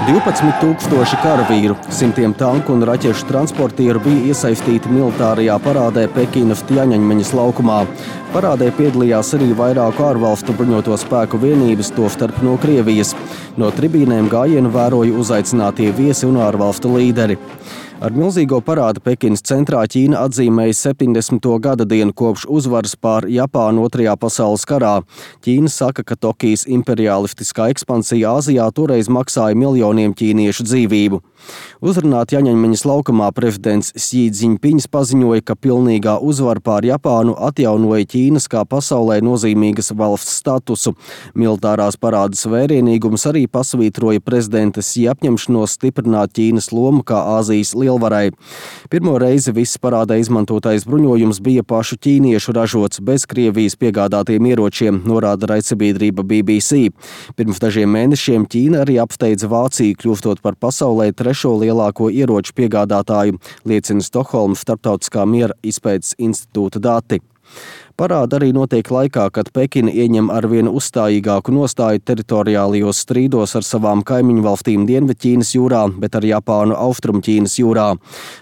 12,000 karavīru, simtiem tanku un raķešu transportieru bija iesaistīti militārajā parādē Pekinas Tjaņaņmeņas laukumā. Parādē piedalījās arī vairāku ārvalstu bruņoto spēku vienības, tostarp no Krievijas. No tribīnēm gājienu vēroja uzaicinātie viesi un ārvalstu līderi. Ar milzīgo parādu Pekinas centrā Ķīna atzīmēja 70. gada dienu kopš uzvaras pār Japānu Otrajā pasaules karā. Ķīna saka, ka Tokijas imperialistiskā ekspansija Āzijā toreiz maksāja miljoniem ķīniešu dzīvību. Uzrunā Tjaņaņmeņas laukumā prezidents Xi Jinpings paziņoja, ka pilnīgā uzvara pār Japānu atjaunoja Ķīnas kā pasaulē nozīmīgas valsts statusu. Militārās parādas vērienīgums arī pasvītroja prezidenta Xi apņemšanos stiprināt Ķīnas lomu kā Āzijas lielvarai. Pirmo reizi viss parādē izmantotais bruņojums bija pašu ķīniešu ražots bez Krievijas piegādātiem ieročiem, norāda raidsabiedrība BBC. Pirms dažiem mēnešiem Ķīna arī apsteidza Vāciju, kļūstot par pasaulē trešo lielāko ieroču piegādātāju, liecina Stokholmas Starptautiskā miera izpētes institūta dati. Parāda arī notiek laikā, kad Pekina ieņem arvien uzstājīgāku nostāju teritoriālajos strīdos ar savām kaimiņu valstīm Dienvidķīnas jūrā, bet ar Japānu Austrumķīnas jūrā.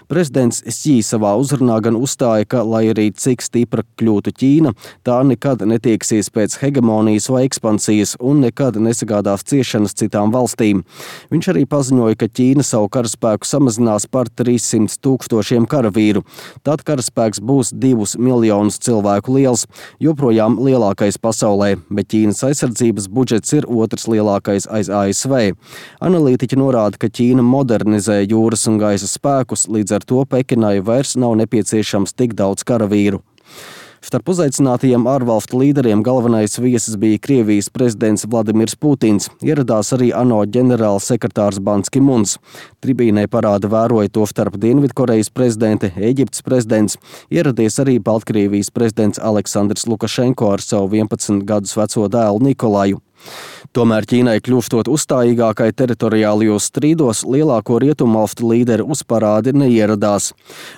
Prezidents Xi savā uzrunā gan uzstāja, ka, lai arī cik stipra kļūtu Ķīna, tā nekad netieksies pēc hegemonijas vai ekspansijas un nekad nesagādās ciešanas citām valstīm. Viņš arī paziņoja, ka Ķīna savu karaspēku samazinās par 300,000 karavīru. Tad karaspēks būs 2 miljonus cilvēku liels, joprojām lielākais pasaulē, bet Ķīnas aizsardzības budžets ir otrs lielākais aiz ASV. Analītiķi norāda, ka Ķīna modernizē jūras un gaisa spēkus, līdz ar to Pekinai vairs nav nepieciešams tik daudz karavīru. Starp uzaicinātajiem ārvalstu līderiem galvenais viesis bija Krievijas prezidents Vladimirs Putins. Ieradās arī ANO ģenerāls sekretārs Ban Ki Muns. Tribīnē parāda vēroja to starp Dienvidkorejas prezidente, Ēģiptes prezidents. Ieradies arī Baltkrievijas prezidents Aleksandrs Lukašenko ar savu 11 gadus veco dēlu Nikolaju. Tomēr Ķīnai kļūstot uzstājīgākai teritoriālajos strīdos, lielāko rietumvalstu līderi uz parādi neieradās.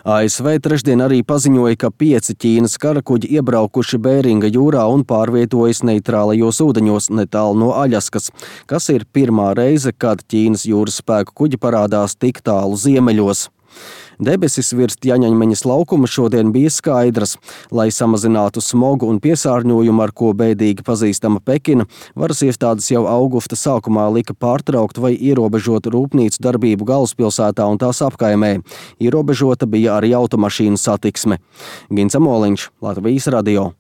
ASV trešdien arī paziņoja, ka 5 Ķīnas karakuģi iebraukuši Bēringa jūrā un pārvietojas neitrālajos ūdeņos netālu no Aļaskas, kas ir pirmā reize, kad Ķīnas jūras spēku kuģi parādās tik tālu ziemeļos. Debesis virs Tjaņaņmeņas laukuma šodien bija skaidras. Lai samazinātu smogu un piesārņojumu, ar ko bēdīgi pazīstama Pekina, varas iestādes jau augusta sākumā lika pārtraukt vai ierobežot rūpnīcu darbību galvaspilsētā un tās apkaimē. Ierobežota bija arī automašīnu satiksme. Gins Amoliņš, Latvijas radio.